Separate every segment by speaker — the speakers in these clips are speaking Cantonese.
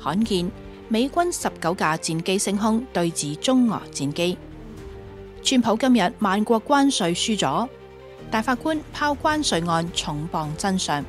Speaker 1: 罕見美軍19架戰機升空對峙中俄戰機。川普今日萬國關稅輸咗，大法官拋關稅案重磅真相。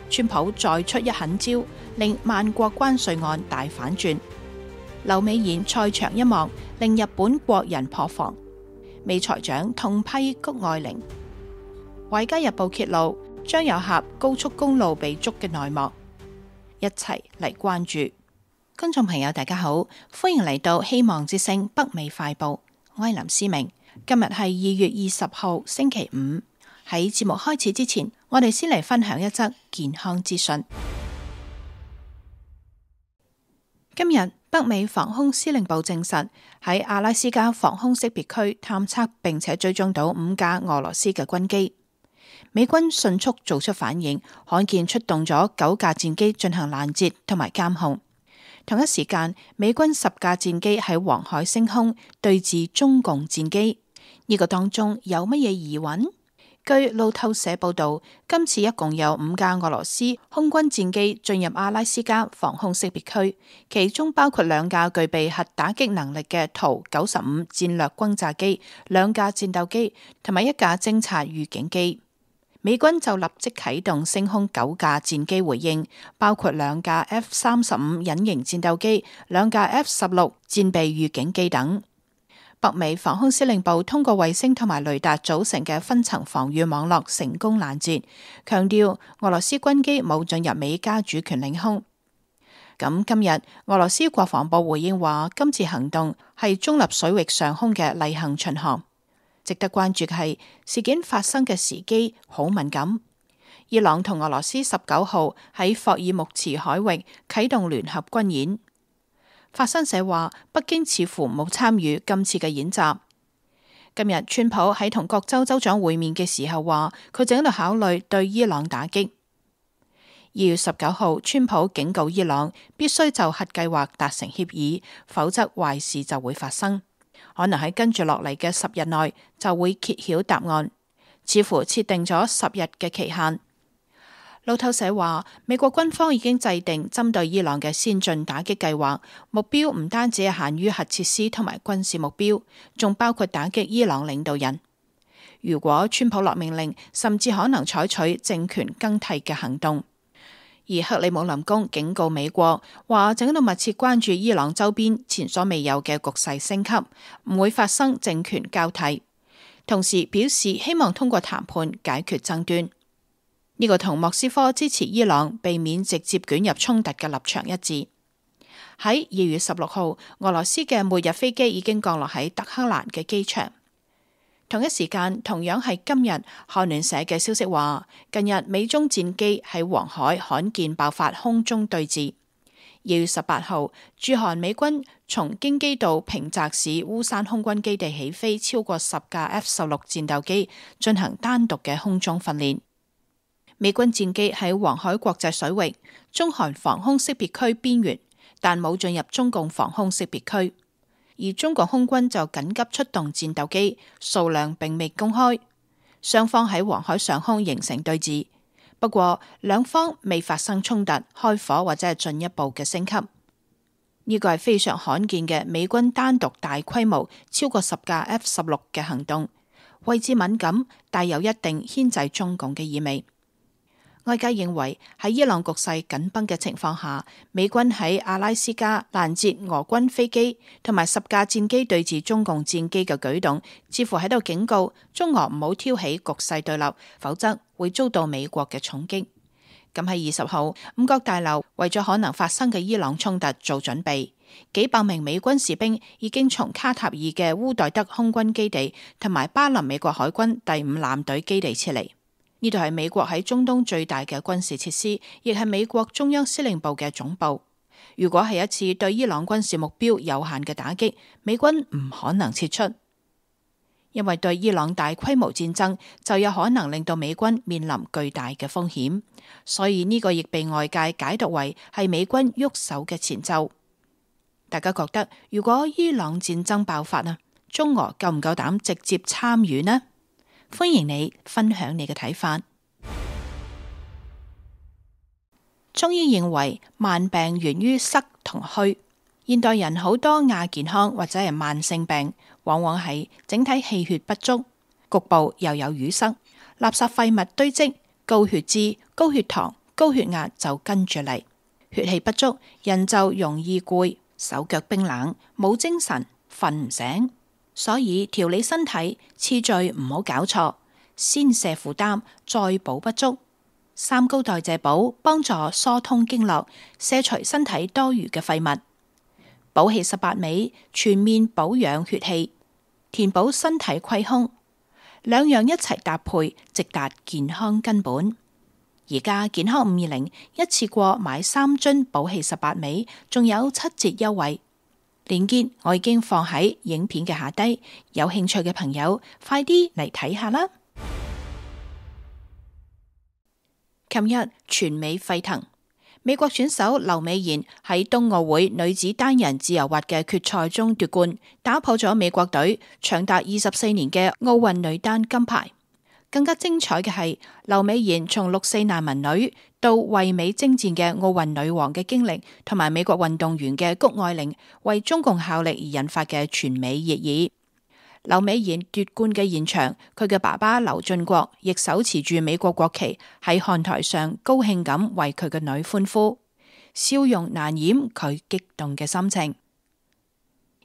Speaker 1: 川普再出一狠招，令萬國關稅案大反轉。劉美賢賽場一幕，令日本國人破防。美財長痛批谷愛凌。華爾街日報揭露張有俠高速公路被捉嘅內幕，一齊嚟關注。觀眾朋友大家好，歡迎嚟到希望之聲北美快報，我係林思明。今日係2月20號星期五。喺節目開始之前，我哋先嚟分享一則健康資訊。今日北美防空司令部證實，喺阿拉斯加防空識別區探測並且追蹤到5架俄羅斯嘅軍機。美軍迅速做出反應，罕見出動咗9架戰機進行攔截同埋監控。同一時間，美軍10架戰機喺黃海升空對峙中共戰機。呢個當中有乜嘢疑雲？據路透社報道，今次一共有5架俄羅斯空軍戰機進入阿拉斯加防空識別區，其中包括2架具備核打擊能力嘅圖95戰略轟炸機、2架戰鬥機同埋1架偵察預警機。美軍就立即啟動升空9架戰機回應，包括2架 F-35隱形戰鬥機、2架 F-16戰備預警機等。北美防空司令部通過衛星同埋雷達組成嘅分層防禦網絡成功攔截，強調俄羅斯軍機冇進入美加主權領空。咁今日俄羅斯國防部回應話，今次行動係中立水域上空嘅例行巡航。值得關注嘅係事件發生嘅時機好敏感。伊朗同俄羅斯19號喺霍爾木茲海域啟動聯合軍演。法新社話，北京似乎冇參與今次嘅演習。今日川普喺同各州州長會面嘅時候話，佢正喺度考慮對伊朗打擊。2月19號，川普警告伊朗必須就核計劃達成協議，否則壞事就會發生。可能喺跟住落嚟嘅10日內就會揭曉答案，似乎設定咗10日嘅期限。路透社話，美國軍方已經制定針對伊朗嘅先進打擊計劃，目標唔單止係限於核設施同埋軍事目標，仲包括打擊伊朗領導人。如果川普落命令，甚至可能採取政權更替嘅行動。而克里姆林宮警告美國，話正喺度密切關注伊朗周邊前所未有嘅局勢升級，唔會發生政權交替。同時表示希望通過談判解決爭端。呢個同莫斯科支持伊朗避免直接捲入衝突嘅立場一致。喺2月16號，俄羅斯嘅末日飛機已經降落喺德黑蘭嘅機場。同一時間，同樣係今日，韓聯社嘅消息話，近日美中戰機喺黃海罕見爆發空中對峙。2月18號，駐韓美軍從京畿道平澤市烏山空軍基地起飛超過10架 F-16戰鬥機，進行單獨嘅空中訓練。美軍戰機喺黃海國際水域、中韓防空識別區邊緣，但冇進入中共防空識別區。而中國空軍就緊急出動戰鬥機，數量並未公開。雙方喺黃海上空形成對峙，不過兩方未發生衝突、開火或者係進一步嘅升級。呢個係非常罕見嘅美軍單獨大規模超過10架 F-16嘅行動，位置敏感，帶有一定牽制中共嘅意味。外界認為喺伊朗局勢緊繃嘅情況下，美軍喺阿拉斯加攔截俄軍飛機同埋10架戰機對峙中共戰機嘅舉動，似乎喺度警告中俄唔好挑起局勢對立，否則會遭到美國嘅重擊。咁喺20號，五角大樓為咗可能發生嘅伊朗衝突做準備，幾百名美軍士兵已經從卡塔爾嘅烏代德空軍基地同埋巴林美國海軍第5艦隊基地撤離。呢度係美國喺中東最大嘅軍事設施，亦係美國中央司令部嘅總部。如果係一次對伊朗軍事目標有限嘅打擊，美軍唔可能撤出，因為對伊朗大規模戰爭就有可能令到美軍面臨巨大嘅風險。所以呢個亦被外界解讀為係美軍喐手嘅前奏。大家覺得如果伊朗戰爭爆發啊，中俄夠唔夠膽直接參與呢？歡迎你分享你嘅睇法。中醫認為慢病源於濕同虛。現代人好多亞健康或者係慢性病，往往係整體氣血不足，局部又有淤塞，垃圾廢物堆積，高血脂、高血糖、高血壓就跟住嚟。血氣不足，人就容易攰、手腳冰冷、冇精神、瞓唔醒。所以調理身體次序唔好搞錯，先卸負擔，再補不足。三高代謝補幫助疏通經絡，卸除身體多餘嘅廢物。補氣18味全面保養血氣，填補身體虧空，兩樣一齊搭配，直達健康根本。而家健康520一次過買3樽補氣18味，仲有7折優惠。鏈接我已經放喺影片嘅下低，有興趣嘅朋友快啲嚟睇下啦。琴日全美沸騰，美國選手劉美妍喺冬奧會女子單人自由滑嘅決賽中奪冠，打破咗美國隊長達24年嘅奧運女單金牌。更加精彩嘅係，劉美妍從6·4難民女到為美征戰嘅奧運女王嘅經歷，同埋美國運動員嘅谷愛凌為中共效力而引發嘅全美熱議。劉美妍奪冠嘅現場，佢嘅爸爸劉俊國亦手持住美國國旗喺看台上高興咁為佢嘅女歡呼，笑容難掩佢激動嘅心情。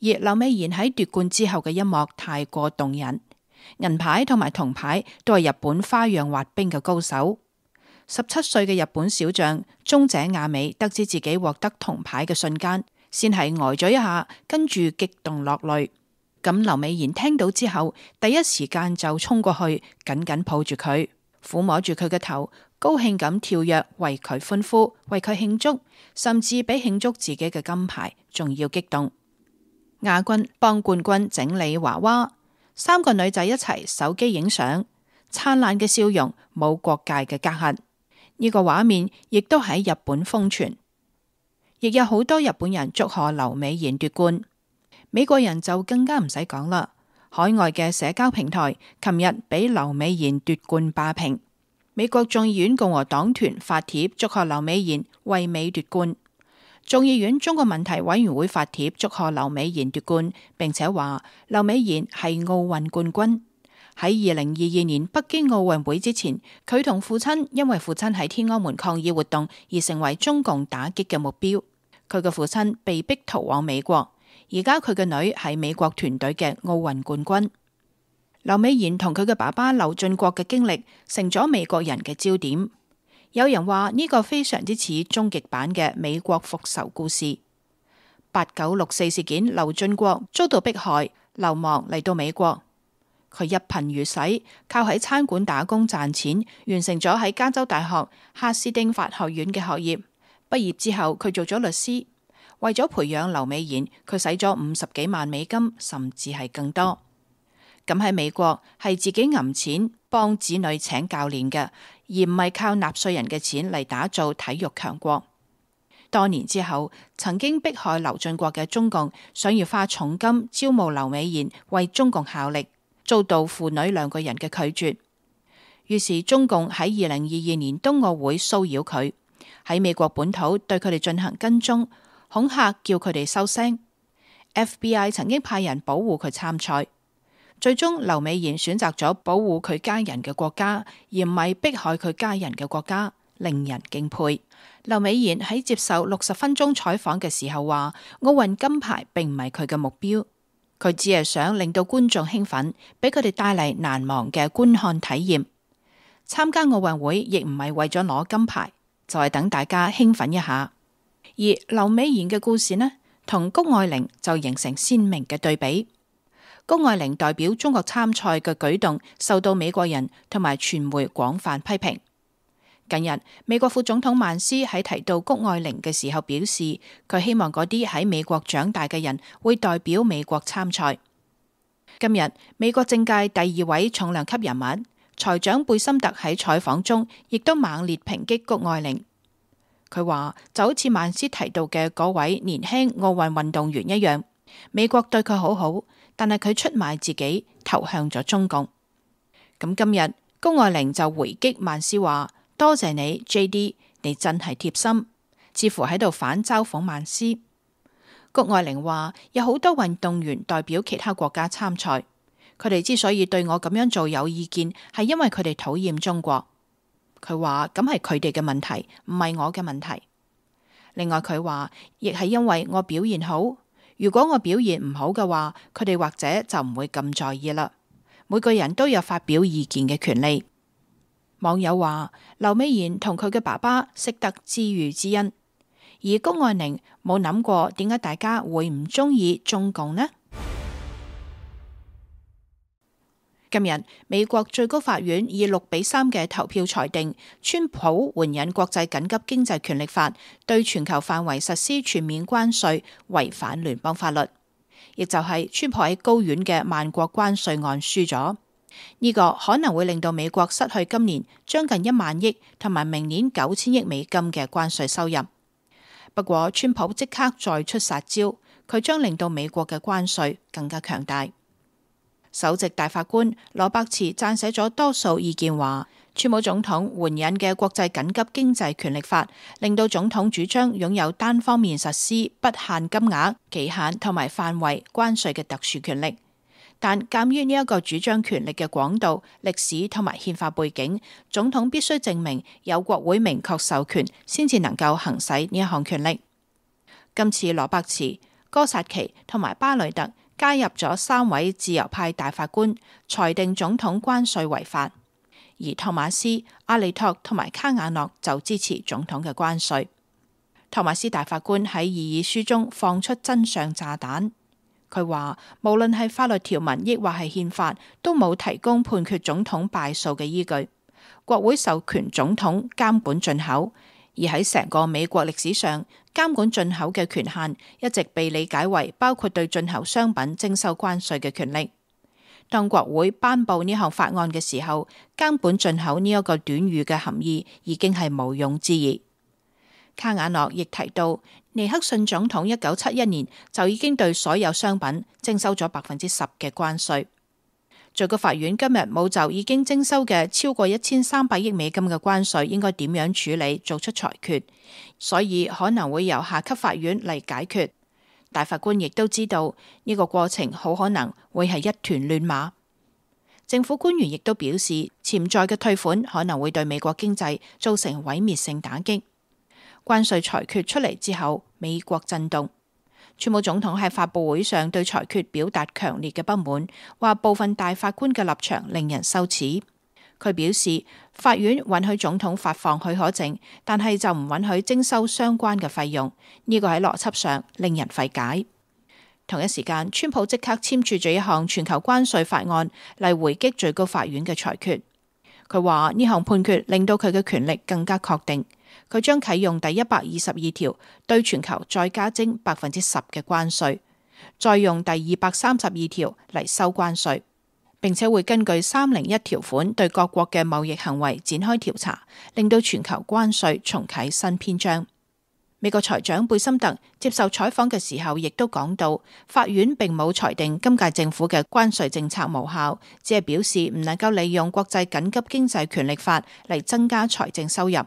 Speaker 1: 而劉美妍喺奪冠之後嘅一幕太過動人。銀牌同埋銅牌都係日本花樣滑冰嘅高手。17歲嘅日本小將中井亞美得知自己獲得銅牌嘅瞬間，先係呆咗一下，跟住激動落淚。咁劉美妍聽到之後，第一時間就衝過去，緊緊抱住佢，撫摸住佢嘅頭，高興咁跳躍，為佢歡呼，為佢慶祝，甚至比慶祝自己嘅金牌仲要激動。亞軍幫冠軍整理娃娃。3個女仔一齊手機影相，燦爛嘅笑容，冇國界嘅隔閡。呢個畫面亦都喺日本瘋傳，亦有好多日本人祝賀劉美妍奪冠。美國人就更加唔使講啦，海外嘅社交平台琴日俾劉美妍奪冠霸屏。美國眾議院共和黨團發帖祝賀劉美妍為美奪冠。眾議院中國問題委員會發帖祝賀劉美妍奪冠，並且話劉美妍係奧運冠軍。喺2022年北京奧運會之前，佢同父親因為父親喺天安門抗議活動而成為中共打擊嘅目標。佢嘅父親被逼逃往美國，而家佢嘅女係美國團隊嘅奧運冠軍。劉美妍同佢嘅爸爸劉俊國嘅經歷成咗美國人嘅焦點。有人話呢個非常之似終極版嘅美國復仇故事。8964事件，劉俊國遭到迫害，流亡嚟到美國。佢一貧如洗，靠喺餐館打工賺錢，完成咗喺加州大學夏斯丁法學院嘅學業。畢業之後，佢做咗律師。為咗培養劉美妍，佢使咗50幾萬美金，甚至係更多。咁喺美國係自己揞錢幫子女請教練嘅，而唔係靠納稅人嘅錢嚟打造體育強國。多年之後，曾經迫害劉俊國嘅中共想要花重金招募劉美妍為中共效力，遭到父女2個人嘅拒絕。於是中共喺2022年冬奧會騷擾佢，喺美國本土對佢哋進行跟蹤、恐嚇，叫佢哋收聲。FBI 曾經派人保護佢參賽。最終劉美妍選擇咗保護佢家人嘅國家，而唔係迫害佢家人嘅國家，令人敬佩。劉美妍喺接受60分鐘採訪嘅時候話，奧運金牌並唔係佢嘅目標，佢只係想令到觀眾興奮，俾佢哋帶嚟難忘嘅觀看體驗。參加奧運會亦唔係為咗攞金牌，就係等大家興奮一下。而劉美妍嘅故事呢，同谷愛凌就形成鮮明嘅對比。谷愛凌代表中國參賽嘅舉動受到美國人同埋傳媒廣泛批評。近日，美國副總統曼斯喺提到谷愛凌嘅時候表示，佢希望嗰啲喺美國長大嘅人會代表美國參賽。今日，美國政界第2位重量級人物財長貝森特喺採訪中亦都猛烈抨擊谷愛凌。佢話就好似曼斯提到嘅嗰位年輕奧運運動員一樣，美國對佢好好，但係佢出賣自己，投向咗中共。咁今日谷愛凌就回擊曼斯話：多謝你 JD，你真係貼心，似乎喺度反嘲諷曼斯。谷愛玲話有好多運動員代表其他國家參賽，佢哋之所以對我咁樣做有意見，係因為佢哋討厭中國。佢話咁係佢哋嘅問題，唔係我嘅問題。另外佢話亦係因為我表現好，如果我表現唔好嘅話，佢哋或者就唔會咁在意啦。每個人都有發表意見嘅權利。網友話劉美賢同佢嘅爸爸識得知遇之恩，而谷愛玲冇諗過點解大家會唔中意中共呢？今日美國最高法院以6-3嘅投票裁定，川普援引國際緊急經濟權力法對全球範圍實施全面關稅，違反聯邦法律，亦就係川普喺高院嘅萬國關稅案輸咗。呢個可能會令到美國失去今年將近1萬億同埋明年9000億美金嘅關稅收入。不過川普即刻再出殺招，佢將令到美國嘅關稅更加強大。首席大法官羅伯茨撰寫咗多數意見話，川普總統援引嘅國際緊急經濟權力法令到總統主張擁有單方面實施不限金額、期限同埋範圍關稅嘅特殊權力。但鑒於呢一個主張權力嘅廣度、歷史同埋憲法背景，總統必須證明有國會明確授權，先至能夠行使呢一項權力。今次羅伯茨、哥薩奇同埋巴雷特加入咗3位自由派大法官，裁定總統關稅違法，而托馬斯、阿利托同埋卡瓦諾就支持總統嘅關稅。托馬斯大法官喺異議書中放出真相炸彈，佢話無論係法律條文抑或係憲法，都冇提供判決總統敗訴嘅依據。國會授權總統監管進口，而喺成個美國歷史上，監管進口嘅權限一直被理解為包括對進口商品徵收關稅嘅權力。當國會頒布呢項法案嘅時候，監管進口呢一個短語嘅含義已經係毋庸置疑。卡瓦諾亦提到，尼克遜總統1971年就已經對所有商品徵收咗10%嘅關稅。最高法院今日冇就已經徵收嘅超過1300億美金嘅關稅應該點樣處理做出裁決，所以可能會由下級法院嚟解決。大法官亦都知道呢個過程好可能會係一團亂麻。政府官員亦都表示，潛在嘅退款可能會對美國經濟造成毀滅性打擊。關稅裁決出嚟之後，美國震動。川普總統喺發佈會上對裁決表達強烈嘅不滿，話部分大法官嘅立場令人羞恥。佢表示，法院允許總統發放許可證，但係就唔允許徵收相關嘅費用。呢個喺邏輯上令人費解。同一時間，川普即刻簽署咗一項全球關稅法案嚟回擊最高法院嘅裁決。佢話呢項判決令到佢嘅權力更加確定。佢將啟用第122條，對全球再加徵10%嘅關稅，再用第232條嚟收關稅，並且會根據301條款對各國嘅貿易行為展開調查，令到全球關稅重啟新篇章。美國財長貝森特接受採訪嘅時候，亦都講到，法院並冇裁定今屆政府嘅關稅政策無效，只係表示唔能夠利用國際緊急經濟權力法嚟增加財政收入。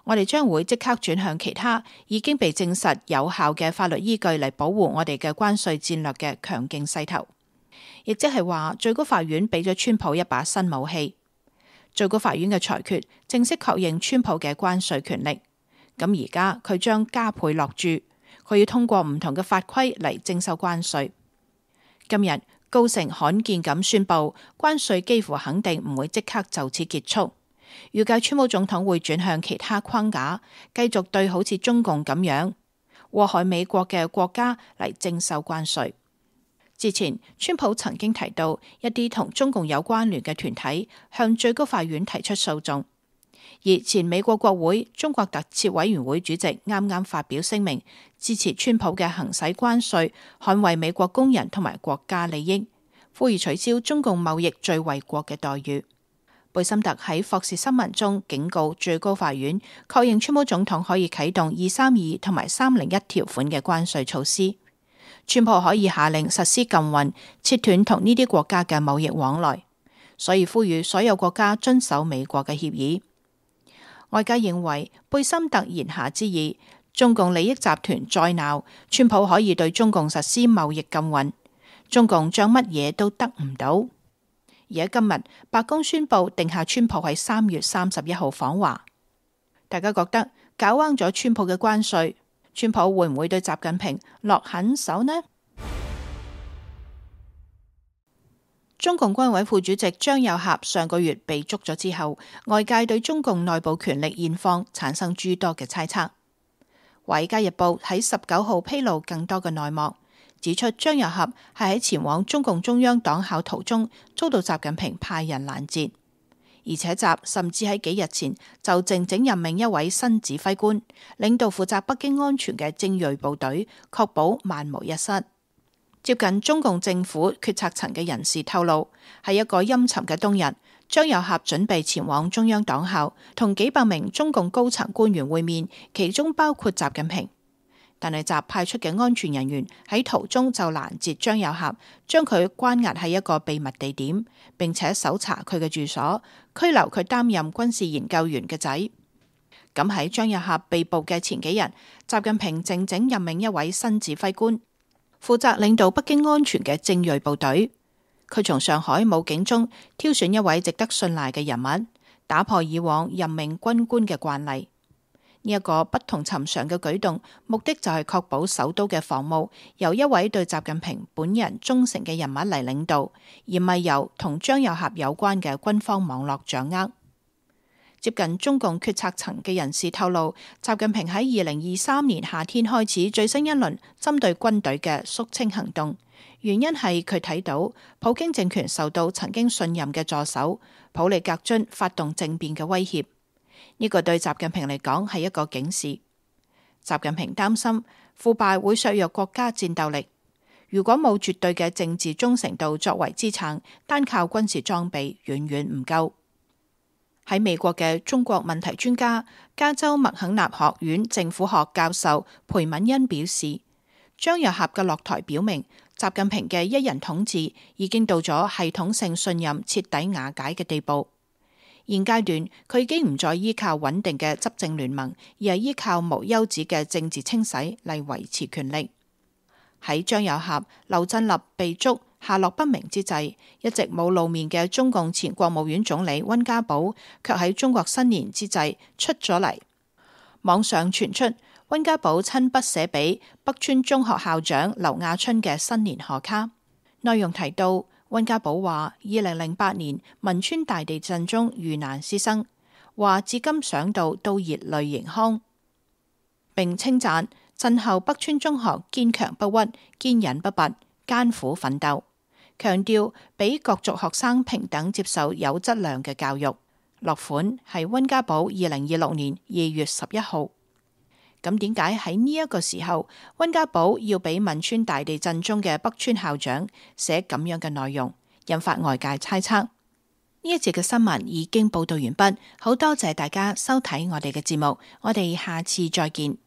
Speaker 1: 我哋將會即刻轉向其他已經被證實有效嘅法律依據嚟保護我哋嘅關稅戰略嘅強勁勢頭，亦即係話最高法院俾咗川普一把新武器。最高法院嘅裁決正式確認川普嘅關稅權力，咁而家佢將加倍落注，佢要通過唔同嘅法規嚟徵收關稅。今日高盛罕見咁宣布，關稅幾乎肯定唔會即刻就此結束。預計川普總統會轉向其他框架，繼續對好似中共咁樣禍害美國嘅國家嚟徵收關稅。之前，川普曾經提到一啲同中共有關聯嘅團體向最高法院提出訴訟，而前美國國會中國特設委員會主席啱啱發表聲明，支持川普嘅行使關稅，捍衛美國工人同埋國家利益，呼籲取消中共貿易最惠國嘅待遇。貝森特喺霍士新聞中警告最高法院，確認川普總統可以啟動232同埋301條款嘅關稅措施，川普可以下令實施禁運，切斷同呢啲國家嘅貿易往來，所以呼籲所有國家遵守美國嘅協議。外界認為貝森特言下之意，中共利益集團再鬧，川普可以對中共實施貿易禁運，中共將乜嘢都得唔到。而喺今日，白宮宣布定下川普喺3月31號訪華，大家覺得搞彎咗川普嘅關稅，川普會唔會對習近平落狠手呢？中共軍委副主席張又俠上個月被捉咗之後，外界對中共內部權力現況產生諸多嘅猜測。華爾街日報喺19號披露更多嘅內幕，指出張又俠係喺前往中共中央黨校途中遭到習近平派人攔截，而且習甚至喺幾日前就靜靜任命一位新指揮官，領導負責北京安全嘅精銳部隊，確保萬無一失。接近中共政府決策層嘅人士透露，喺一個陰沉嘅冬日，張又俠準備前往中央黨校，同幾百名中共高層官員會面，其中包括習近平。但係習派出嘅安全人員喺途中就攔截張又俠，將佢關押喺一個秘密地點，並且搜查佢嘅住所，拘留佢擔任軍事研究員嘅仔。咁喺張又俠被捕嘅前幾日，習近平靜靜任命一位新指揮官，負責領導北京安全嘅精銳部隊。佢從上海武警中挑選一位值得信賴嘅人物，打破以往任命軍官嘅慣例。呢一個不同尋常嘅舉動，目的就係確保首都嘅防務由一位對習近平本人忠誠嘅人物嚟領導，而唔係由同張又俠有關嘅軍方網絡掌握。接近中共決策層嘅人士透露，習近平喺2023年夏天開始最新一輪針對軍隊嘅肅清行動，原因係佢睇到普京政權受到曾經信任嘅助手普里格津發動政變嘅威脅。呢個對習近平嚟講係一個警示。習近平擔心腐敗會削弱國家戰鬥力，如果冇絕對嘅政治忠誠度作為支撐，單靠軍事裝備遠遠唔夠。喺美國嘅中國問題專家、加州麥肯納學院政府學教授裴敏恩表示，張又俠嘅落台表明，習近平嘅一人統治已經到咗系統性信任徹底瓦解嘅地步。現階段佢已經唔再依靠穩定嘅執政聯盟，而係依靠無休止嘅政治清洗嚟維持權力。喺張又俠、劉振立被捉下落不明之際，一直冇露面嘅中共前國務院總理溫家寶卻喺中國新年之際出咗嚟。網上傳出溫家寶親筆寫俾北川中學校長劉亞春嘅新年賀卡，內容提到溫家寶話2008年汶川大地震中遇難師生，話至今想到都熱淚盈眶，並稱讚震後北川中學堅強不屈、堅忍不拔、艱苦奮鬥，強調俾各族學生平等接受有質量嘅教育。落款係溫家寶2026年2月11號。咁點解喺呢一個時候，溫家寶要俾汶川大地震中嘅北川校長寫咁樣嘅內容，引發外界猜測？呢一節嘅新聞已經報道完畢，好多謝大家收睇我哋嘅節目，我哋下次再見。